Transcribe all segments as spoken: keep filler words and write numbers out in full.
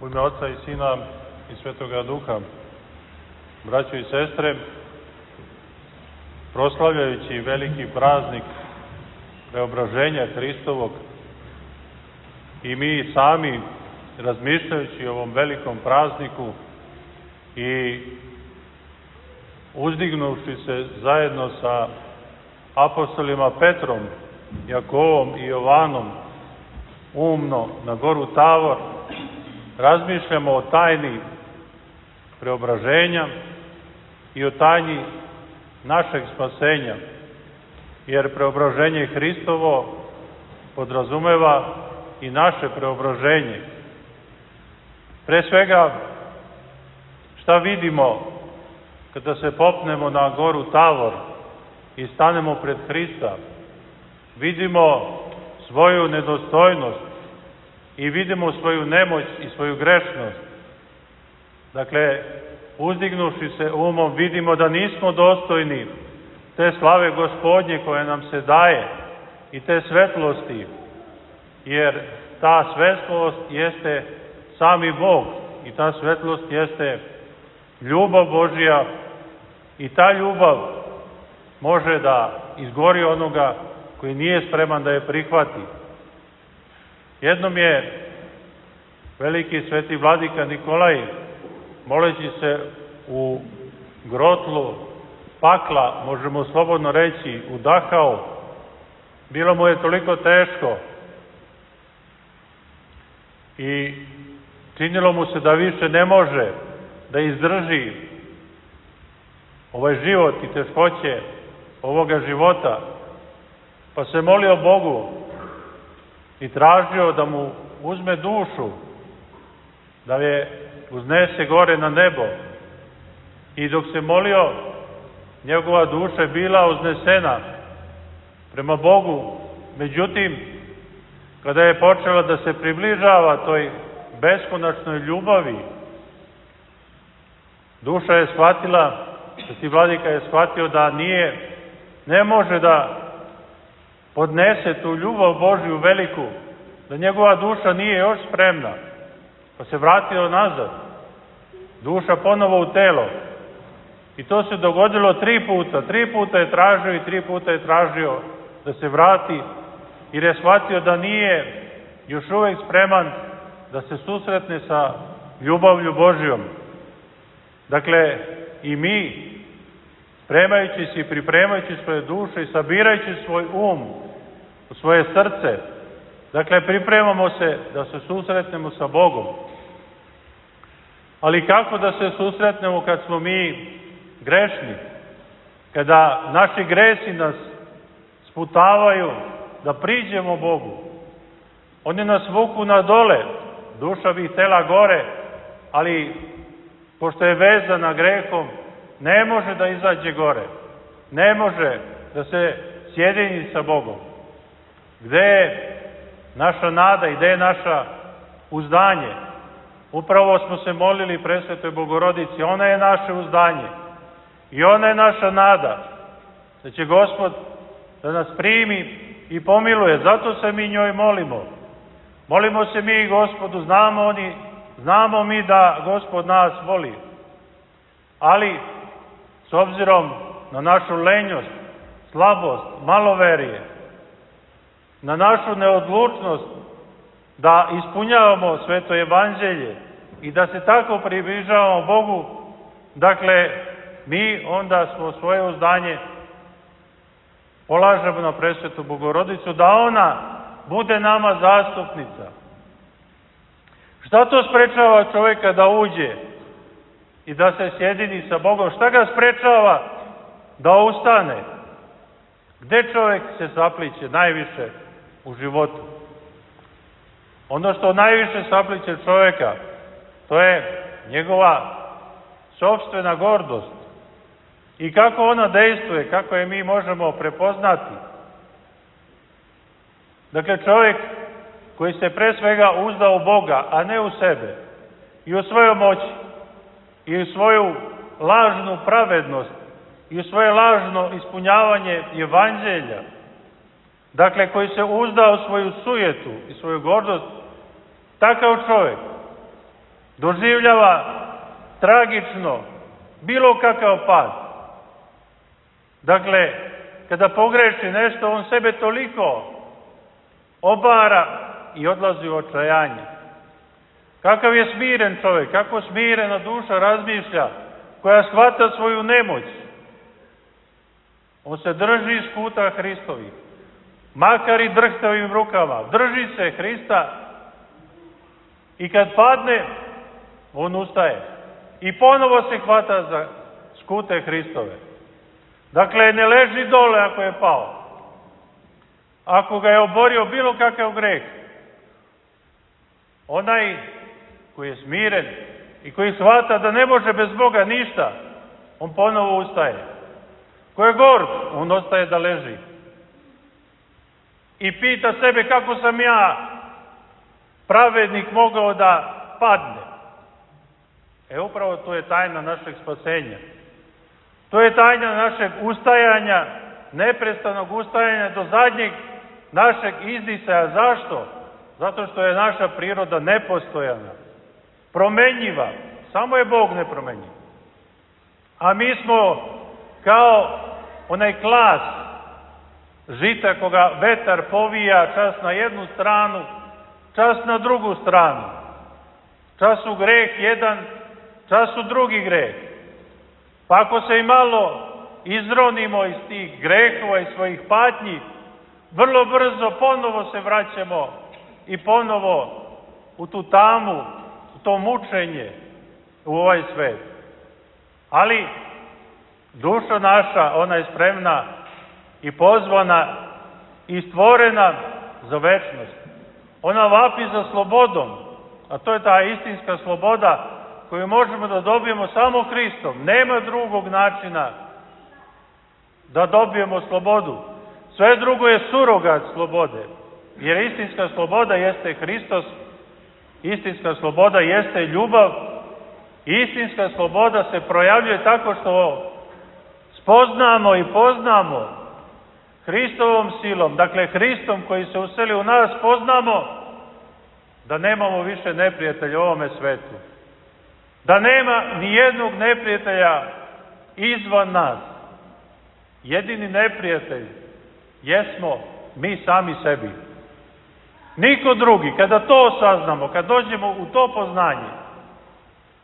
U ime Oca i Sina i Svetoga Duha, braćo i sestre, proslavljajući veliki praznik preobraženja Hristovog i mi sami razmišljajući o ovom velikom prazniku i uzdignuši se zajedno sa apostolima Petrom, Jakovom i Jovanom umno na goru Tavor, razmišljamo o tajni preobraženja i o tajni našeg spasenja, jer preobraženje Hristovo podrazumeva i naše preobraženje. Pre svega, šta vidimo kada se popnemo na goru Tavor i stanemo pred Hrista? Vidimo svoju nedostojnost i vidimo svoju nemoć i svoju grešnost. Dakle, uzdignuši se umom, vidimo da nismo dostojni te slave Gospodnje koje nam se daje i te svetlosti, jer ta svetlost jeste sami Bog i ta svetlost jeste ljubav Božja i ta ljubav može da izgori onoga koji nije spreman da je prihvati. Jednom je veliki sveti vladika Nikolaj, moleći se u grotlu pakla, možemo slobodno reći, udahao. Bilo mu je toliko teško i činilo mu se da više ne može da izdrži ovaj život i teškoće ovoga života, pa se molio Bogu i tražio da mu uzme dušu, da je uznese gore na nebo. I dok se molio, njegova duša je bila uznesena prema Bogu. Međutim, kada je počela da se približava toj beskonačnoj ljubavi, duša je shvatila, sveti vladika je shvatio da nije, ne može da podnese tu ljubav Božju veliku, da njegova duša nije još spremna, pa se vratio nazad. Duša ponovo u telo. I to se dogodilo tri puta. Tri puta je tražio i tri puta je tražio da se vrati, jer je shvatio da nije još uvek spreman da se susretne sa ljubavlju Božjom. Dakle, i mi, spremajući se i pripremajući svoje duše i sabirajući svoj um u svoje srce, dakle, pripremamo se da se susretnemo sa Bogom. Ali kako da se susretnemo kad smo mi grešni? Kada naši gresi nas sputavaju da priđemo Bogu. Oni nas vuku na dole, duša bi htela gore, ali pošto je vezana grehom, ne može da izađe gore. Ne može da se sjedini sa Bogom. Gde je naša nada i gde je naša uzdanje? Upravo smo se molili Presvetoj Bogorodici, ona je naše uzdanje i ona je naša nada, da će Gospod da nas primi i pomiluje. Zato se mi njoj molimo. Molimo se mi Gospodu, znamo, oni, znamo mi da Gospod nas voli, ali s obzirom na našu lenjost, slabost, maloverije, na našu neodlučnost da ispunjavamo sveto evanđelje i da se tako približavamo Bogu, dakle, mi onda smo svoje uzdanje polažemo na Presvetu Bogorodicu, da ona bude nama zastupnica. Šta to sprečava čovjeka da uđe i da se sjedini sa Bogom? Šta ga sprečava da ustane? Gde čovjek se sapliće najviše u životu? Ono što najviše sapliće čovjeka, to je njegova sopstvena gordost. I kako ona dejstvuje, kako je mi možemo prepoznati. Dakle, čovjek koji se pre svega uzda u Boga, a ne u sebe, i u svojoj moći, i u svoju lažnu pravednost, i u svoje lažno ispunjavanje evanđelja, dakle, koji se uzda u svoju sujetu i svoju gordost, takav čovjek doživljava tragično bilo kakav pad. Dakle, kada pogreši nešto, on sebe toliko obara i odlazi u očajanje. Kakav je smiren čovjek, kako smirena duša razmišlja, koja shvata svoju nemoć. On se drži iz puta Hristovih, makar i drhtavim rukama. Drži se Hrista i kad padne, on ustaje. I ponovo se hvata za skute Hristove. Dakle, ne leži dole ako je pao. Ako ga je oborio bilo kakav greh, onaj koji je smiren i koji shvata da ne može bez Boga ništa, on ponovo ustaje. Ko je gord, on ostaje da leži. I pita sebe kako sam ja, pravednik, mogao da padne. E upravo to je tajna našeg spasenja. To je tajna našeg ustajanja, neprestanog ustajanja do zadnjeg našeg izdisaja. Zašto? Zato što je naša priroda nepostojana, promenjiva. Samo je Bog nepromenjiv. A mi smo kao onaj klas žita koga vetar povija čas na jednu stranu, čas na drugu stranu. Čas u greh jedan, čas u drugi greh. Pa ako se i malo izronimo iz tih grehova i svojih patnji, vrlo brzo ponovo se vraćamo i ponovo u tu tamu, u to mučenje, u ovaj svet. Ali duša naša, ona je spremna i pozvana i stvorena za večnost. Ona vapi za slobodom, a to je ta istinska sloboda koju možemo da dobijemo samo Hristom. Nema drugog načina da dobijemo slobodu. Sve drugo je surogat slobode, jer istinska sloboda jeste Hristos, istinska sloboda jeste ljubav, istinska sloboda se projavljuje tako što spoznamo i poznamo Hristovom silom, dakle Hristom koji se useli u nas, poznamo da nemamo više neprijatelja u ovome svetu. Da nema ni jednog neprijatelja izvan nas. Jedini neprijatelj jesmo mi sami sebi. Niko drugi. Kada to saznamo, kad dođemo u to poznanje,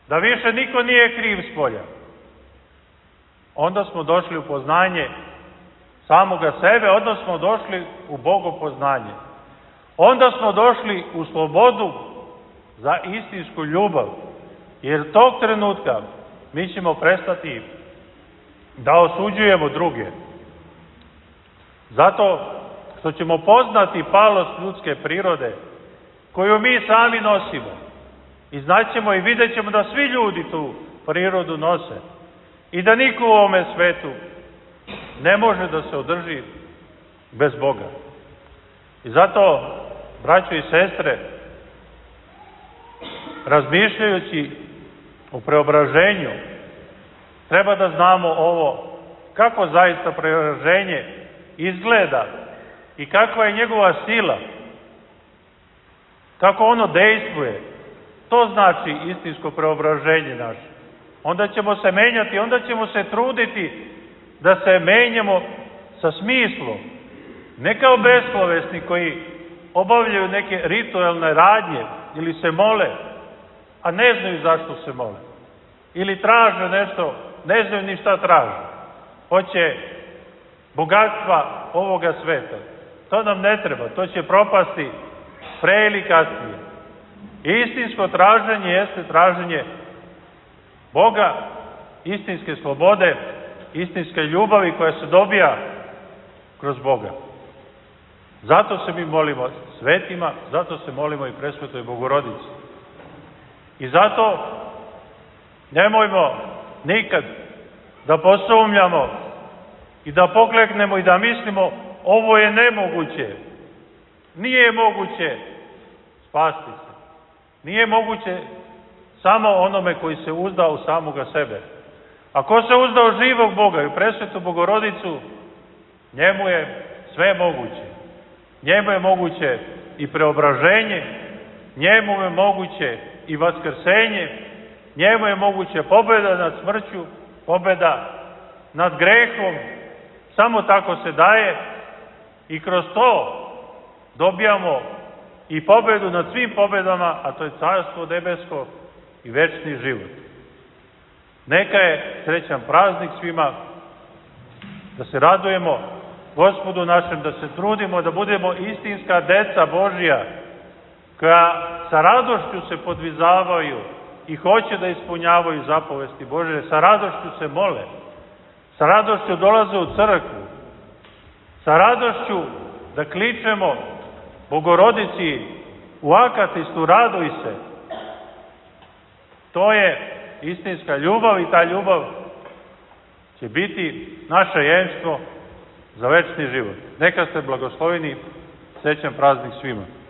da više niko nije kriv spolja, onda smo došli u poznanje samoga sebe, onda smo došli u bogopoznanje. Onda smo došli u slobodu za istinsku ljubav. Jer tog trenutka mi ćemo prestati da osuđujemo druge. Zato što ćemo poznati palost ljudske prirode, koju mi sami nosimo. I znaćemo i vidjet ćemo da svi ljudi tu prirodu nose. I da niko u ovome svetu ne može da se održi bez Boga. I zato, braćo i sestre, razmišljajući o preobraženju, treba da znamo ovo, kako zaista preobraženje izgleda i kakva je njegova sila, kako ono dejstvuje. To znači istinsko preobraženje naše. Onda ćemo se menjati, onda ćemo se truditi da se menjamo sa smislom. Ne kao beslovesni koji obavljaju neke ritualne radnje ili se mole, a ne znaju zašto se mole. Ili traže nešto, ne znaju ni šta traže. Hoće bogatstva ovoga sveta. To nam ne treba, to će propasti pre ili kasnije. Istinsko traženje jeste traženje Boga, istinske slobode, istinske ljubavi koja se dobija kroz Boga. Zato se mi molimo svetima, zato se molimo i presvetoj Bogorodici. I zato nemojmo nikad da posumnjamo i da pokleknemo i da mislimo ovo je nemoguće. Nije moguće spasti se. Nije moguće samo onome koji se uzda u samoga sebe. A ko se uzda u živog Boga i u presvetu Bogorodicu, njemu je sve moguće. Njemu je moguće i preobraženje, njemu je moguće i vaskrsenje, njemu je moguća pobjeda nad smrću, pobjeda nad grehom, samo tako se daje i kroz to dobijamo i pobjedu nad svim pobjedama, a to je carstvo nebesko i večni život. Neka je srećan praznik svima, da se radujemo Gospodu našem, da se trudimo da budemo istinska deca Božja, koja sa radošću se podvizavaju i hoće da ispunjavaju zapovesti Božje, sa radošću se mole, sa radošću dolaze u crkvu, sa radošću da kličemo Bogorodici u akatistu, raduj se. To je istinska ljubav i ta ljubav će biti naše jemstvo za večni život. Neka ste blagosloveni, srećan praznik svima.